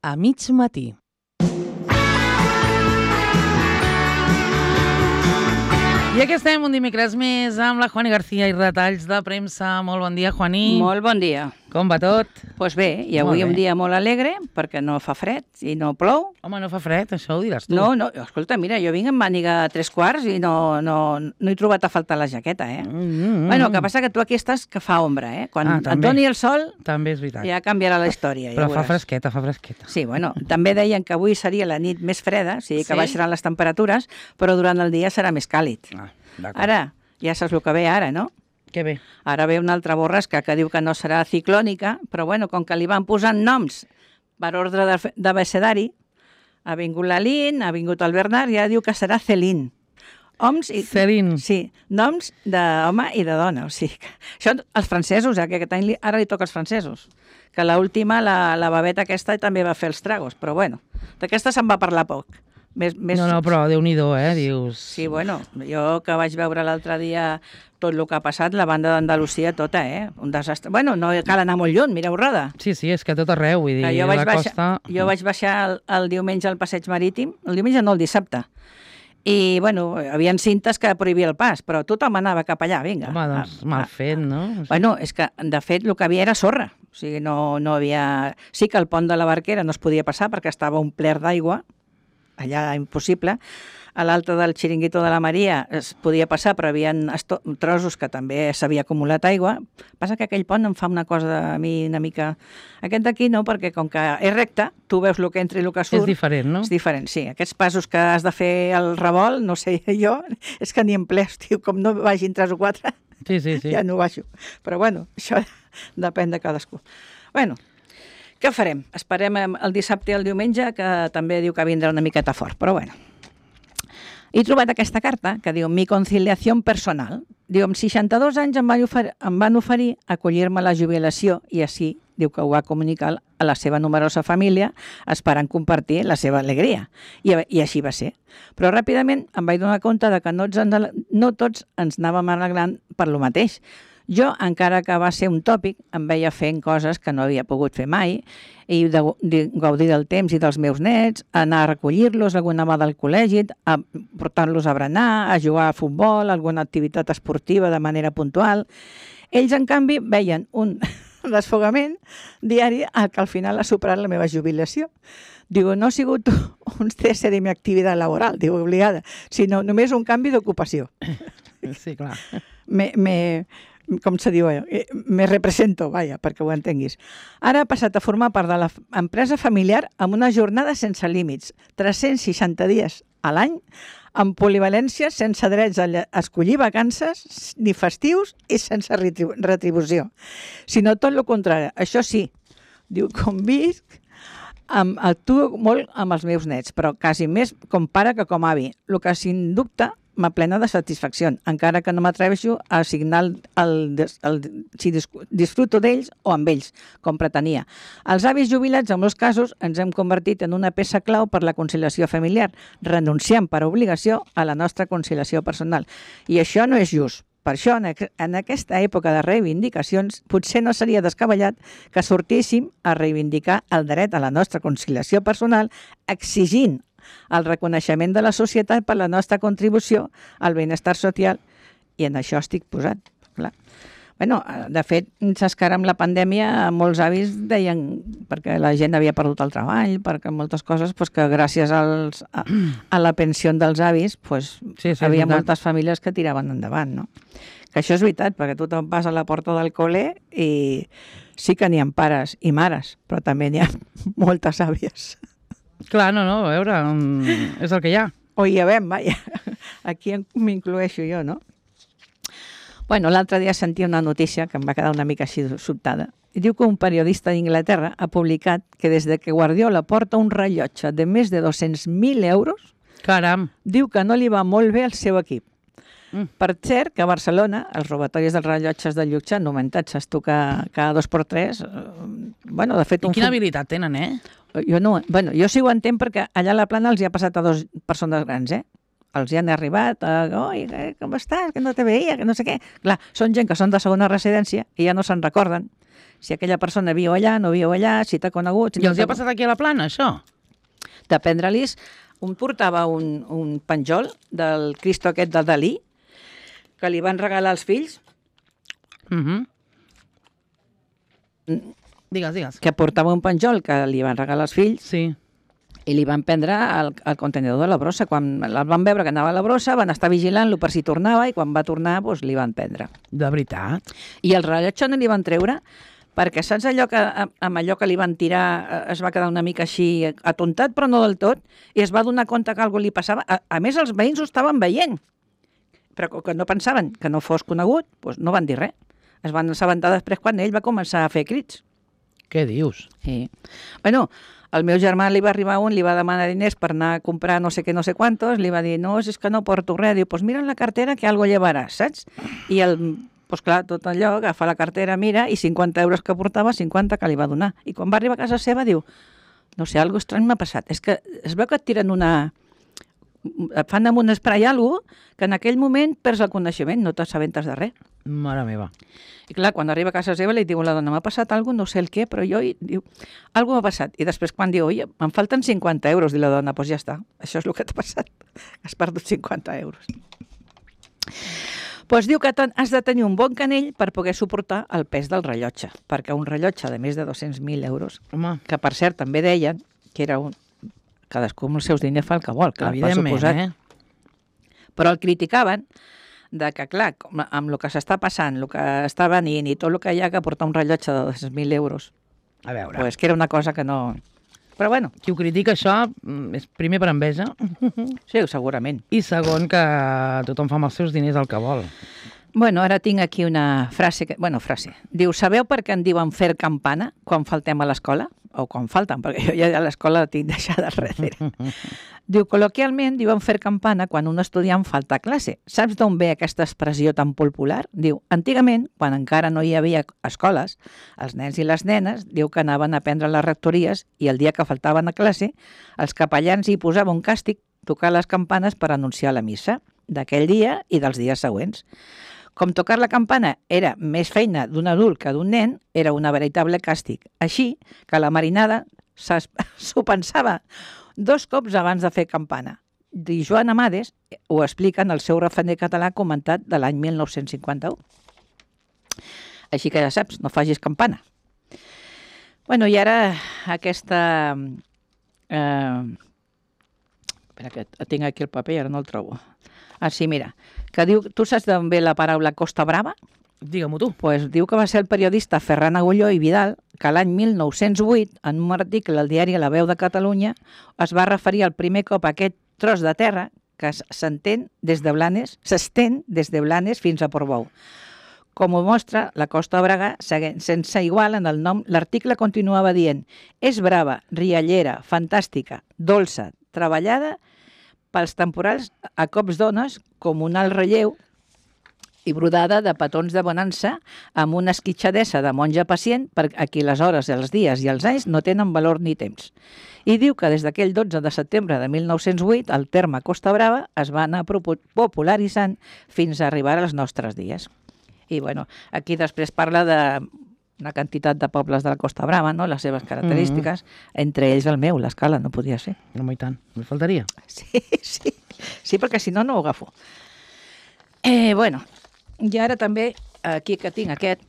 a mig matí. I aquí estem un dimecres més amb la Juani García i retalls de premsa. Molt bon dia, Juani. Molt bon dia. Com va tot? Doncs bé, i avui un dia molt alegre perquè no fa fred i no plou. Home, no fa fred, això ho diràs tu. No, escolta, mira, jo vinc amb màniga a 3/4 i no he trobat a faltar la jaqueta, eh? Bueno, el que passa que tu aquí estàs que fa ombra, eh? Quan et doni el sol, també és veritat. Ja canviarà la història. Però fa fresqueta, fa fresqueta. Sí, bueno, també deien que avui seria la nit més freda, o sigui que baixaran les temperatures, però durant el dia serà més càlid. Ara, ja saps el que ve ara, no? Què ve? Ara ve una altra borrasca que diu que no serà ciclònica, però bueno, com que li van posant noms per ordre d'abecedari, ha vingut l'Alín, ha vingut el Bernard, ja diu que serà Céline. Céline. Sí, noms d'home i de dona. O sigui, això els francesos, que aquest any ara li toca als francesos. Que l'última, la babeta aquesta, també va fer els tragos, però bueno, d'aquesta se'n va parlar poc. No, però Déu-n'hi-do, dius... Sí, bueno, jo que vaig veure l'altre dia tot el que ha passat, la banda d'Andalusia tota, un desastre. Bueno, no cal anar molt lluny, mireu Roda. Sí, és que tot arreu, vull dir, la costa... Jo vaig baixar el diumenge al passeig marítim, el diumenge no, el dissabte, i, bueno, hi havia cintes que prohibia el pas, però tothom anava cap allà, vinga. Home, doncs mal fet, no? Bueno, és que, de fet, el que havia era sorra, o sigui, no havia... Sí que el pont de la Barquera no es podia passar perquè estava un pler d'aigua, allà impossible. A l'alta del Xiringuito de la Maria es podia passar, però hi havia trossos que també s'havia acumulat aigua. Passa que aquell pont em fa una cosa a mi una mica... Aquest d'aquí no, perquè com que és recte, tu veus el que entra i el que surt. És diferent, no? És diferent, sí. Aquests passos que has de fer al revolt, no sé jo, és que ni en ple, com no vagin 3 o 4, ja no baixo. Però bueno, això depèn de cadascú. Bueno, què farem? Esperem el dissabte i el diumenge, que també diu que vindrà una miqueta fort, però bueno. He trobat aquesta carta que diu «Mi conciliació personal». Diu, amb 62 anys em van oferir acollir-me a la jubilació i així diu que ho va comunicar a la seva numerosa família esperant compartir la seva alegria. I així va ser. Però ràpidament em vaig donar compte de que no tots ens anàvem alegrant per lo mateix. Jo, encara que va ser un tòpic, em veia fent coses que no havia pogut fer mai i gaudir del temps i dels meus nets, anar a recollir-los alguna vegada al col·legi, a portar-los a berenar, a jugar a futbol, alguna activitat esportiva de manera puntual. Ells, en canvi, veien un desfogament diari que al final ha superat la meva jubilació. Diu, no ha sigut un cese de mi activitat laboral, diu, obligada, sinó només un canvi d'ocupació. Sí, clar. Com se diu, me represento, perquè ho entenguis. Ara ha passat a formar part de l'empresa familiar amb una jornada sense límits, 360 dies a l'any, amb polivalència, sense drets a escollir vacances ni festius i sense retribució. Sinó tot el contrari. Això sí, diu, convisc, actuo molt amb els meus nets, però quasi més com pare que com avi, el que sin dubte m'aplena de satisfacció, encara que no m'atreveixo a assignar si disfruto d'ells o amb ells, com pretenia. Els avis jubilats, en molts casos, ens hem convertit en una peça clau per la conciliació familiar, renunciant per obligació a la nostra conciliació personal. I això no és just. Per això, en aquesta època de reivindicacions, potser no seria descabellat que sortíssim a reivindicar el dret a la nostra conciliació personal, exigint el reconeixement de la societat per la nostra contribució al benestar social, i en això estic posat, clar. Bueno, de fet, saps que ara amb la pandèmia molts avis deien, perquè la gent havia perdut el treball, perquè moltes coses, que gràcies a la pensió dels avis, havia moltes famílies que tiraven endavant, no? Que això és veritat, perquè tu te'n vas a la porta del col·le i sí que n'hi ha pares i mares, però també n'hi ha moltes àvies. Clar, no, a veure, és el que hi ha. O hi havem, vaja. Aquí m'incloeixo jo, no? Bueno, l'altre dia sentia una notícia que em va quedar una mica així sobtada. Diu que un periodista d'Inglaterra ha publicat que des de que Guardiola porta un rellotge de més de 200.000 euros, caram, diu que no li va molt bé al seu equip. Per cert, que a Barcelona els robatoris dels rellotges de luxe han augmentat, saps tu que cada 2x3... Bueno, de fet... I quina habilitat tenen, Jo sí ho entenc perquè allà a la plana els hi ha passat a 2 persones grans, els hi han arribat, oi, com estàs, que no te veia, que no sé què. Clar, són gent que són de segona residència i ja no se'n recorden si aquella persona viu allà, no viu allà, si t'ha conegut... Si I els hi ha passat aquí a la Plana, això? De prendre-li's, un portava un penjol del Cristo aquest de Dalí, que li van regalar als fills, Digues. que portava un penjol que li van regalar als fills, Sí. i li van prendre el contenidor de la brossa. Quan el van veure que anava a la brossa, van estar vigilant-lo per si tornava, i quan va tornar, doncs, li van prendre. De veritat? I el rellotge no li van treure, perquè saps allò que amb allò que li van tirar es va quedar una mica així atontat, però no del tot, i es va donar compte que alguna li passava. A més, els veïns ho estaven veient, però que no pensaven que no fos conegut, doncs no van dir res. Es van assabentar després quan ell va començar a fer crits. Què dius? Sí. Bueno, al meu germà li va arribar un, li va demanar diners per anar a comprar no sé què, no sé quantos, li va dir, no, és que no porto res. Diu, pues mira en la cartera que algo llevaràs, saps? I pues clar, tot allò, agafa la cartera, mira, i 50 euros que portava, 50 que li va donar. I quan va arribar a casa seva diu, no sé, algo estrany m'ha passat. És que es veu que et tiren et fan amb un spray alguna que en aquell moment perds el coneixement, no t'assabentes de res. Mare meva. I clar, quan arriba a casa seva li diu a la dona, m'ha passat alguna cosa, no sé el què, però jo, diu, alguna m'ha passat. I després quan diu, oi, em falten 50 euros, diu la dona, doncs ja està, això és el que t'ha passat, has perdut 50 euros. Doncs diu que has de tenir un bon canell per poder suportar el pes del rellotge, perquè un rellotge de més de 200.000 euros, Home, que per cert també deien que era cadascú amb els seus diners fa el que vol, clar, per evidentment, suposat. Però el criticaven de que, clar, amb el que s'està passant, el que està venint i tot el que hi ha que portar un rellotge de 200.000 euros, A veure, pues que era una cosa que no... Però bueno, qui ho critica això és primer per enveja sí, segurament. i segon que tothom fa amb els seus diners el que vol. Bueno, ara tinc aquí una frase, frase. Diu, sabeu per què en diuen fer campana quan faltem a l'escola? O quan falten, perquè jo ja a l'escola la tinc deixada darrere. Diu, col·loquialment diuen fer campana quan un estudiant falta a classe. Saps d'on ve aquesta expressió tan popular? Diu, antigament, quan encara no hi havia escoles, els nens i les nenes diu que anaven a aprendre a les rectories i el dia que faltaven a classe, els capellans hi posaven un càstig, tocar les campanes per anunciar la missa d'aquell dia i dels dies següents. Com tocar la campana era més feina d'un adult que d'un nen, era una veritable càstig. Així que la marinada s'ho pensava 2 cops abans de fer campana. I Joan Amades ho explica en el seu refraner català comentat de l'any 1951. Així que ja saps, no facis campana. Bueno, i ara aquesta... espera, que tinc aquí el paper i ara no el trobo. Ah, sí, mira, que diu, tu saps d'on ve la paraula Costa Brava? Digue-m'ho tu. Pues diu que va ser el periodista Ferran Agulló i Vidal que l'any 1908, en un article al diari La Veu de Catalunya, es va referir al primer cop a aquest tros de terra que s'estén des de Blanes fins a Portbou. Com ho mostra, la Costa Brava, sense igual en el nom, l'article continuava dient és brava, riallera, fantàstica, dolça, treballada pels temporals a cops d'ones, com un alt relleu i brodada de petons de bonança amb una esquitxadesa de monja pacient per a qui les hores, els dies i els anys no tenen valor ni temps. I diu que des d'aquell 12 de setembre de 1908 el terme Costa Brava es va anar popularitzant fins a arribar als nostres dies. I bueno, aquí després parla de una quantitat de pobles de la Costa Brava, no? Les seves característiques, entre ells el meu, l'Escala, no podia ser. No, i tant, me faltaria. Sí, perquè si no, no ho agafo. Bueno, i ara també, aquí que tinc aquest,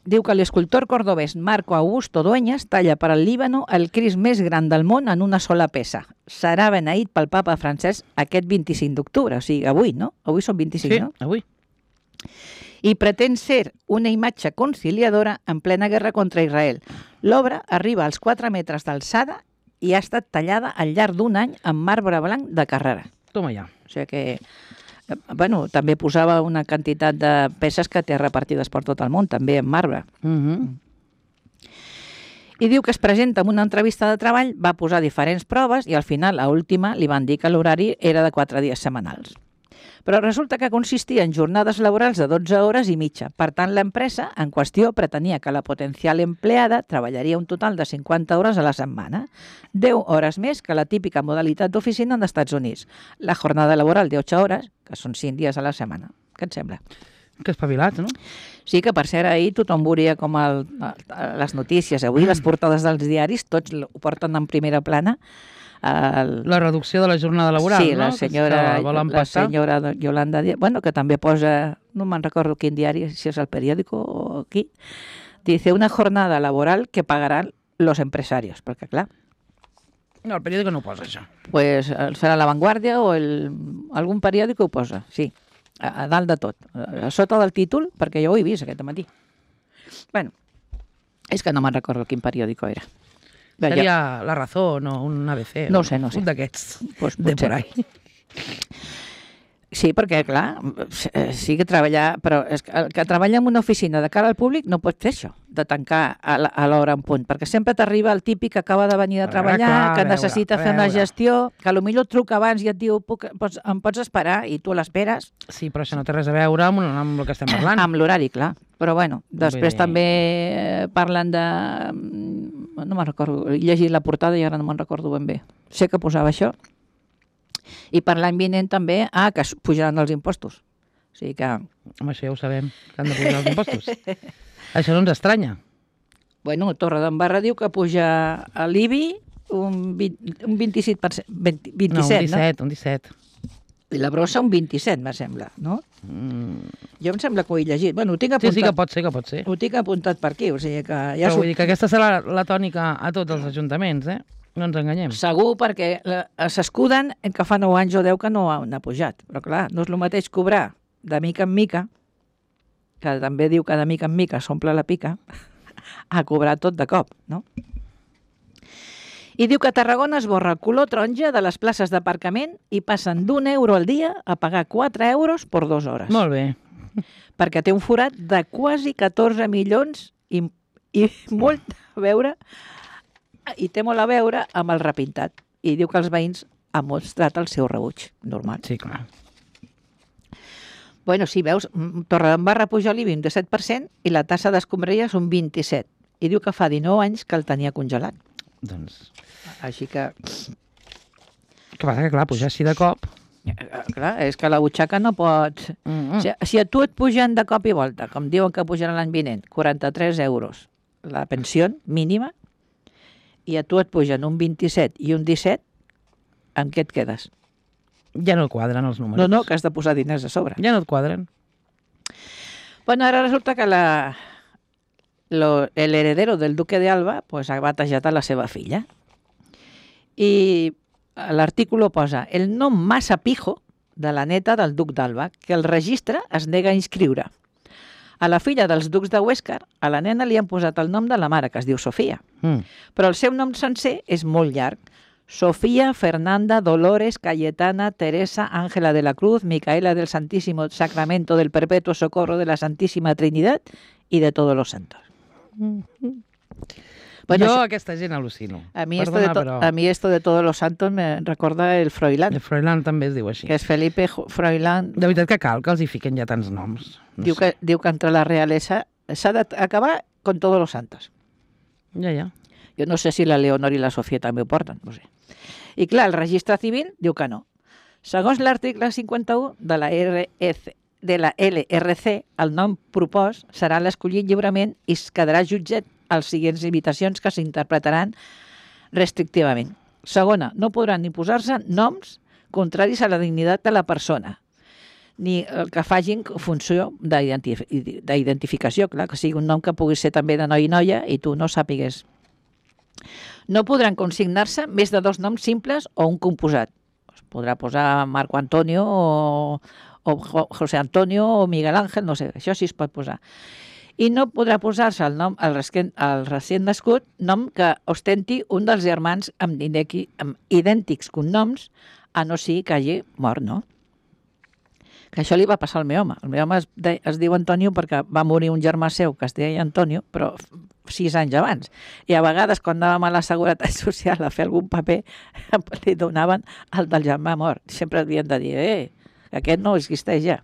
diu que l'escultor cordobès Marco Augusto Dueñas talla per al Líbano el Crist més gran del món en una sola peça. Serà beneït pel papa francès aquest 25 d'octubre, o sigui, avui, no? Avui són 25, sí, no? Avui. I pretén ser una imatge conciliadora en plena guerra contra Israel. L'obra arriba als 4 metres d'alçada i ha estat tallada al llarg d'un any amb marbre blanc de Carrara. Toma ja. O sigui que, bueno, també posava una quantitat de peces que té repartides per tot el món, també en marbre. I diu que es presenta en una entrevista de treball, va posar diferents proves i al final, a última, li van dir que l'horari era de 4 dies setmanals. Però resulta que consistia en jornades laborals de 12 hores i mitja. Per tant, l'empresa en qüestió pretenia que la potencial empleada treballaria un total de 50 hores a la setmana, 10 hores més que la típica modalitat d'oficina als Estats Units. La jornada laboral de 8 hores, que són 5 dies a la setmana. Què et sembla? Que espavilats, no? Sí, que per cert ahir tothom veuria com les notícies. Avui les portades dels diaris tots ho porten en primera plana. La reducció de la jornada laboral, sí, no? Sí, la senyora Yolanda Díaz, bueno, que també posa, no me'n recordo quin diari, si és el periòdico o aquí, dice una jornada laboral que pagaran los empresarios, perquè clar... No, el periòdico no ho posa, això. Pues serà La Vanguardia o algun periòdico ho posa, sí, a dalt de tot, a sota del títol, perquè jo ho he vist aquest matí. Bueno, és que no me'n recordo quin periòdico era. Seria La Razón o un ABC. No sé. Un d'aquests, pues de por ahí. Sí, perquè, clar, sí que treballar... Però és que el que treballa en una oficina de cara al públic no pot fer això, de tancar a l'hora en punt, perquè sempre t'arriba el típic que acaba de venir de treballar, que necessita fer una gestió, que potser et truca abans i et diu em pots esperar, i tu l'esperes. Sí, però això no té res a veure amb el que estem parlant. Amb l'horari, clar. Però bueno, després també parlen de... No me'n recordo, he llegit la portada i ara no me'n recordo ben bé. Sé que posava això. I per l'any vinent també, que pujaran els impostos. O sigui que... Home, això ja ho sabem, que han de pujar els impostos. Això no ens estranya. Bueno, Torredembarra diu que puja a l'IBI un 27%. 27, no, un 17. I la brossa un 27, me sembla, no? Jo em sembla que ho he llegit. Bueno, ho tinc apuntat. Sí, que pot ser. Ho tinc apuntat per aquí, o sigui que... Ja però vull dir que aquesta serà la tònica a tots els ajuntaments, No ens enganyem. Segur, perquè s'escuden en que fa 9 anys o 10 que no han pujat. Però clar, no és el mateix cobrar de mica en mica, que també diu que de mica en mica s'omple la pica, a cobrar tot de cop, no? I diu que a Tarragona es borra el color taronja de les places d'aparcament i passen d'€1 al dia a pagar 4 euros per 2 hores. Molt bé. Perquè té un forat de quasi 14 milions i molt a veure, i té molt a veure amb el repintat. I diu que els veïns han mostrat el seu rebuig, normal. Sí, clar. Bueno, sí, veus, Torredembarra puja l'IBI un 17% i la tassa d'escombraries un 27%. I diu que fa 19 anys que el tenia congelat. Doncs... Així que... Que passa que, clar, pujar així de cop... Clar, és que la butxaca no pot... Si a tu et pugen de cop i volta, com diuen que pujaran l'any vinent, 43 euros la pensió mínima, i a tu et pugen un 27 i un 17, amb què et quedes? Ja no et quadren els números. No, que has de posar diners a sobre. Ja no et quadren. Bueno, ara resulta que el heredero del duque de Alba pues, ha batejat a la seva filla. I l'artículo posa el nom massa pijo de la neta del duc d'Alba, que el registre es nega a inscriure. A la filla dels ducs de Huéscar, a la nena li han posat el nom de la mare, que es diu Sofia. Però el seu nom sencer és molt llarg. Sofía Fernanda Dolores Cayetana Teresa Ángela de la Cruz Micaela del Santísimo Sacramento del Perpetuo Socorro de la Santísima Trinidad y de todos los santos. Bueno, jo aquesta gent al·lucino. A mi esto de todos los santos me recorda el Froilán. El Froilán també es diu així. Que és Felipe Froilán. De veritat que cal que els hi fiquen ja tants noms. Diu que entre la realesa s'ha d'acabar con todos los santos. Ja. Jo no sé si la Leonor i la Sofia també ho porten, no sé. I clar, el registre civil diu que no. Segons l'article 51 de la LRC, el nom propost serà l'escollit lliurement i es quedarà jutjat als següents limitacions que s'interpretaran restrictivament. Segona, no podran ni posar-se noms contraris a la dignitat de la persona, ni el que facin funció d'identificació, clar, que sigui un nom que pugui ser també de noi i noia i tu no sàpigues. No podran consignar-se més de 2 noms simples o un composat. Es podrà posar Marco Antonio o José Antonio o Miguel Ángel, no sé, això sí es pot posar. I no podrà posar-se el nom al recient nascut nom que ostenti un dels germans amb idèntics cognoms, a no ser que hagi mort, no? Que això li va passar al meu home. El meu home es diu Antonio perquè va morir un germà seu que es deia Antonio, però 6 anys abans. I a vegades, quan anàvem a la Seguretat Social a fer algun paper, li donaven el del germà mort. Sempre havien de dir, Aquest no existeix ja.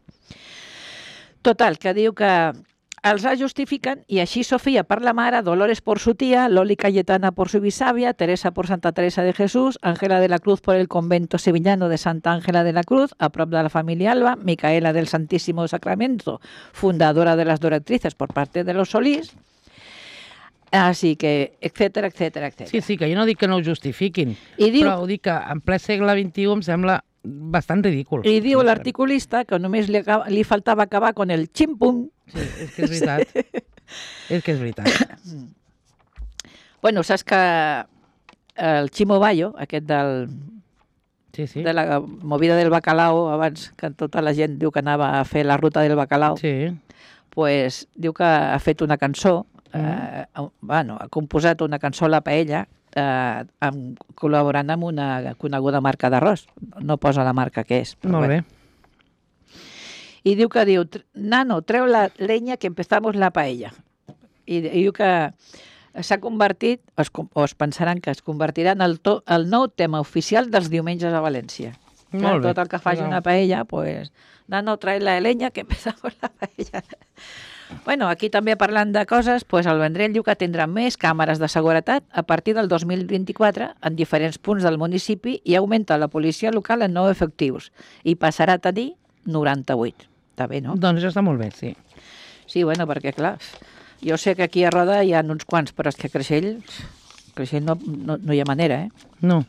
Total, que diu que els la justifiquen y así Sofía por la mare, Dolores por su tía, Loli Cayetana por su bisavia, Teresa por Santa Teresa de Jesús, Ángela de la Cruz por el convento sevillano de Santa Ángela de la Cruz, a prop de la familia Alba, Micaela del Santísimo Sacramento, fundadora de las Doratrices por parte de los Solís, així que, etcètera, etcètera, etcètera. Sí, que jo no dic que no ho justifiquin, diu, però ho dic que en ple segle XXI em sembla bastant ridícul. I diu l'articulista que només li faltava acabar con el ximpum. Sí, és que és veritat. És que és veritat. Bueno, saps que el Chimo Bayo, aquest de la movida del bacalao, abans que tota la gent diu que anava a fer la ruta del bacalao, pues, diu que ha fet una cançó, ha composat una cançó a la paella col·laborant amb una coneguda marca d'arròs. No posa la marca que és. Molt bé. I diu, nano, treu la leña que empezamos la paella. I diu que s'ha convertit, o es pensaran que es convertirà en el nou tema oficial dels diumenges a València. Molt bé. Tot el que faci una paella, pues, nano, trae la leña que empezamos la paella. Bueno, aquí també parlant de coses, pues el Vendrell diu que tindrà més càmeres de seguretat a partir del 2024 en diferents punts del municipi i augmenta la policia local en 9 efectius i passarà a tenir 98. Està bé, no? Doncs això està molt bé, sí. Sí, bueno, perquè clar, jo sé que aquí a Roda hi ha uns quants, però és que a Creixell no hi ha manera, No.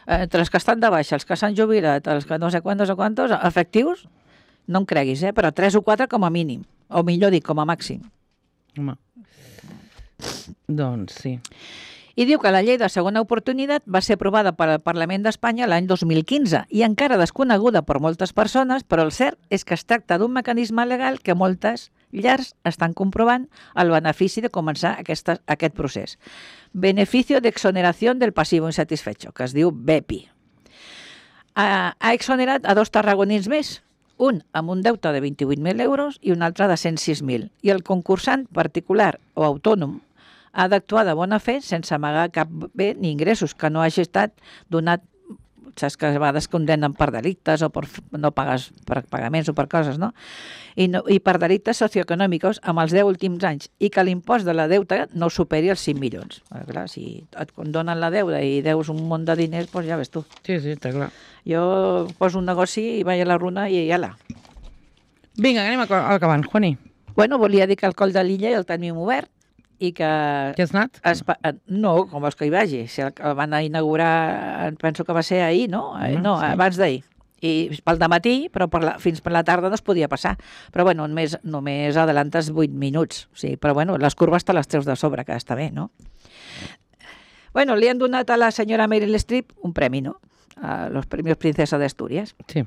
Entre els que estan de baixa, els que s'han jubilat, els que no sé quantos, efectius, no em creguis, però 3 o 4 com a mínim. O millor dic, com a màxim. Home. Doncs sí. I diu que la llei de segona oportunitat va ser aprovada pel Parlament d'Espanya l'any 2015 i encara desconeguda per moltes persones, però el cert és que es tracta d'un mecanisme legal que moltes llars estan comprovant el benefici de començar aquest procés. Beneficio de exoneración del pasivo insatisfecho, que es diu BEPI. Ha exonerat a 2 tarragonins més, un amb un deute de 28.000 euros i un altre de 106.000. I el concursant particular o autònom ha d'actuar de bona fe sense amagar cap bé ni ingressos que no hagi estat donat, saps que a vegades condemnen per delictes o per no pagues per pagaments o per coses, no? I per delictes socioeconòmics amb els 10 últims anys i que l'impost de la deuta no superi els 5 milions. Clar, si et condonen la deuda i deus un munt de diners, doncs ja ves tu. Sí, està clar. Jo poso un negoci i vaig a la runa i ja la. Vinga, anem acabant, Juani. Bueno, volia dir que el Coll de l'Illa el tenim obert i que... Que has anat? No, com vols que hi vagi? Si el van a inaugurar, penso que va ser ahir, no? No, sí. Abans d'ahir. I pel dematí, però fins per la tarda no es podia passar. Però bueno, només adelantes 8 minuts. Sí, però bueno, les curves te les treus de sobre, que està bé, no? Bueno, li han donat a la senyora Meryl Streep un premi, ¿no? A los premios Princesa de Asturias. Sí.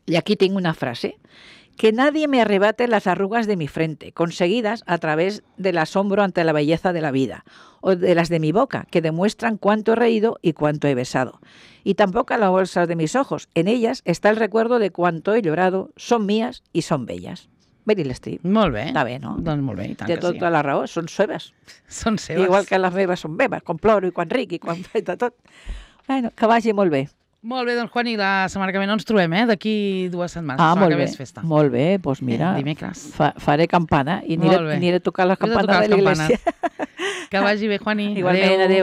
Y aquí tengo una frase. Que nadie me arrebate las arrugas de mi frente, conseguidas a través del asombro ante la belleza de la vida, o de las de mi boca, que demuestran cuánto he reído y cuánto he besado. Y tampoco las bolsas de mis ojos. En ellas está el recuerdo de cuánto he llorado, son mías y son bellas. Meryl Streep. Molt bé. Està bé, no? Doncs molt bé, i tant té que sí. tota la raó, són seves. Són seves. Igual que les meves són meves, quan ploro i quan ric i quan faig de tot. Bueno, que vagi molt bé. Molt bé, doncs, Juani, la setmana que ve no ens trobem, d'aquí 2 setmanes. Molt bé, molt bé, doncs mira, dimecres. Faré campana i aniré a tocar la campana de l'església. Que vagi bé, Juani. Igualment, adéu.